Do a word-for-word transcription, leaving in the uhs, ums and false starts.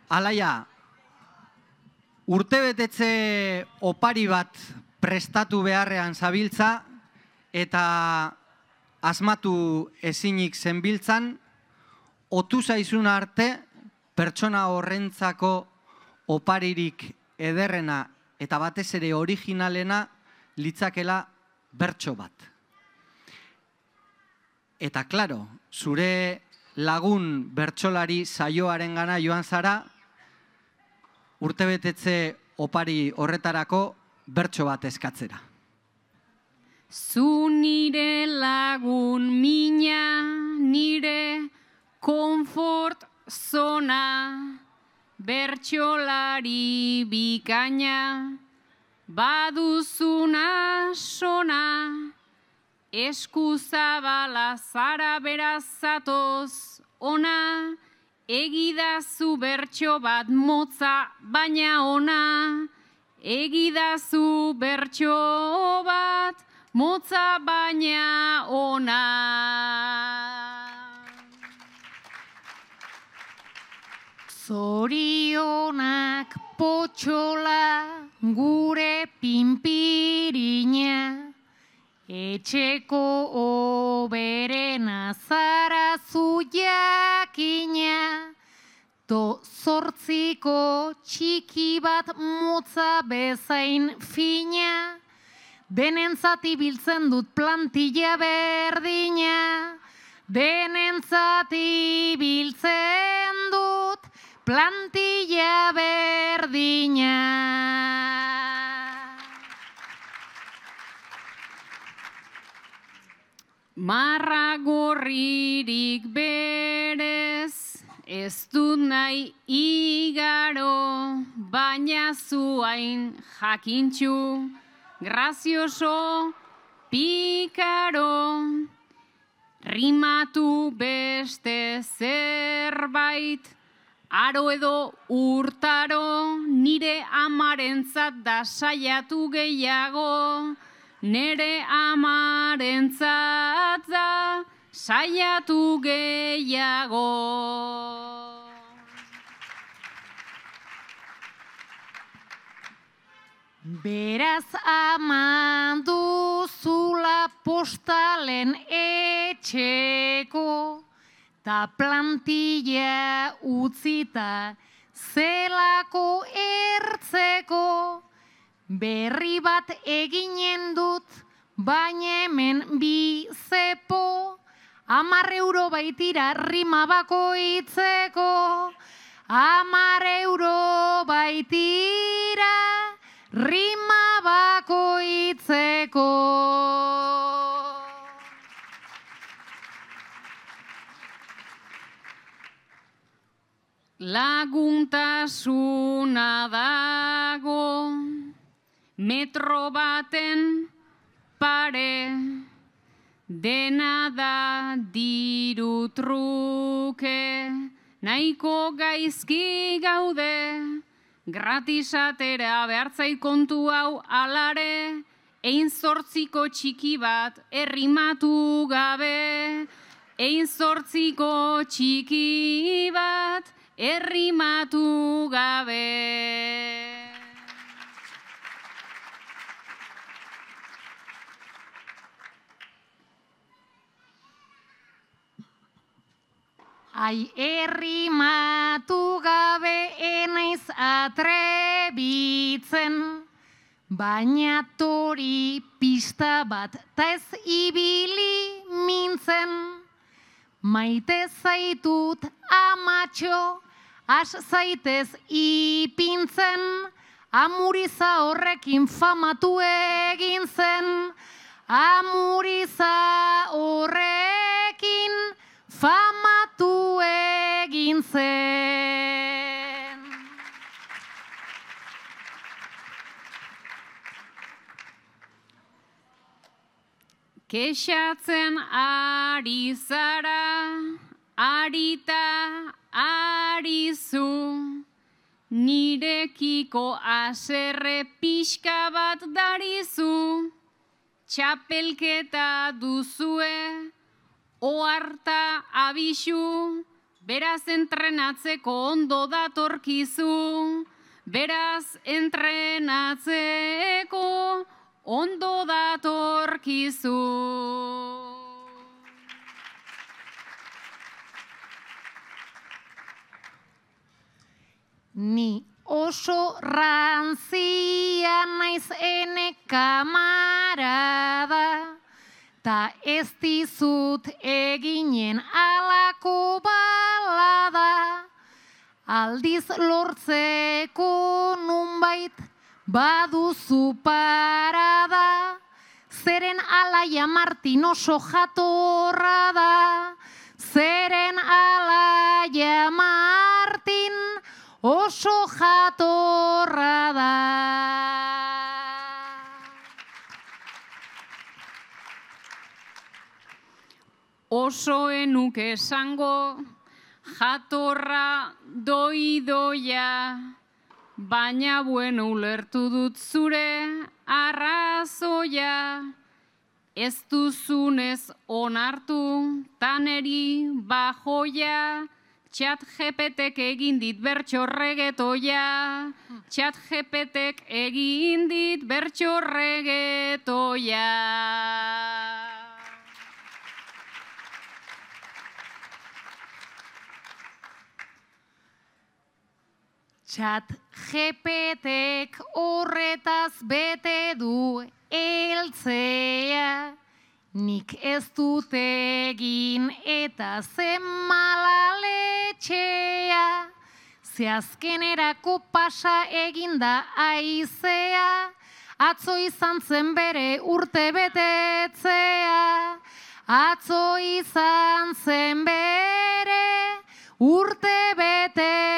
Alaia, urtebetetze opari bat prestatu beharrean zabiltza eta asmatu ezinik zenbiltzan, otu zaizun arte pertsona horrentzako oparirik ederrena eta batez ere originalena litzakela bertso bat. Eta, klaro, zure lagun bertsolari saioaren gana joan zara, urtebetetze opari horretarako bertso bat eskatzera. Zu nire lagun mina, nire konfort zona, bertsolari bikaina, baduzuna sona, eskuzabala zara beraz zatoz ona, egidazu bertso bat motza baina ona, egidazu bertso bat motza baina ona. Zorionak potxola gure pinpirina, etxeko oberena zara zu jakina, to zortziko txiki bat motza bezain fina, denentzat ibiltzen dut plantilla berdina, denentzat ibiltzen dut plantilla berdina. Marra gorririk berez, ez dut nahi igaro, baina zuain jakintxu, grazioso, pikaro, rimatu beste zerbait, aro edo urtaro, nire amarentzat da saiatu gehiago, nere amarentzat da saiatu gehiago. Beraz ama duzula postalen etxeko, ta plantilla utzita zelako ertzeko, berri bat eginen dut, baina hemen bi zepo, hamar euro baitira rima bakoitzeko, hamar euro baitira rima bakoitzeko. Laguntasuna dago metro baten pare, dena da diru truke, nahiko gaizki gaude, gratisatera behartzait kontu hau alare, ein zortziko txiki bat errimatu gabe, ein zortziko txiki bat errimatu gabe. Ai, errimatu gabe enaiz atrebitzen, baina tori pista bat ta ez ibili mintzen. Maite zaitut amatxo, has zaitez ipintzen, amuriza horrekin famatu egin zen, amuriza horrekin famatu egin zen. Kexatzen ari zara, arita arizu, nirekiko haserre pixka bat darizu, txapelketa duzue, oharta abisu, Beraz entrenatzeko ondo datorkizu, beraz entrenatzeko ondo datorkizu. Ni oso ranzia naiz ene kamarada, ta ez dizut eginen alako balada, aldiz lortzeko nunbait baduzu parada, zeren Alaia Martin oso jatorra da, zeren Alaia Martin oso jatorra da. Oso enuk esango jatorra doidoia, baina bueno ulertu dut zure arrazoia, ez duzunez onartu taneri bajoia, Chat G P Tek egin dit bertso regetoia, Chat G P Tek egin dit bertso regetoia. Chat G P Tek horretaz bete du heltzea, nik ez dut egin eta zen malaletxea, ze azkenerako pasa eginda aizea, atzo izan zen bere urte betetzea, atzo izan zen bere urte betetzea.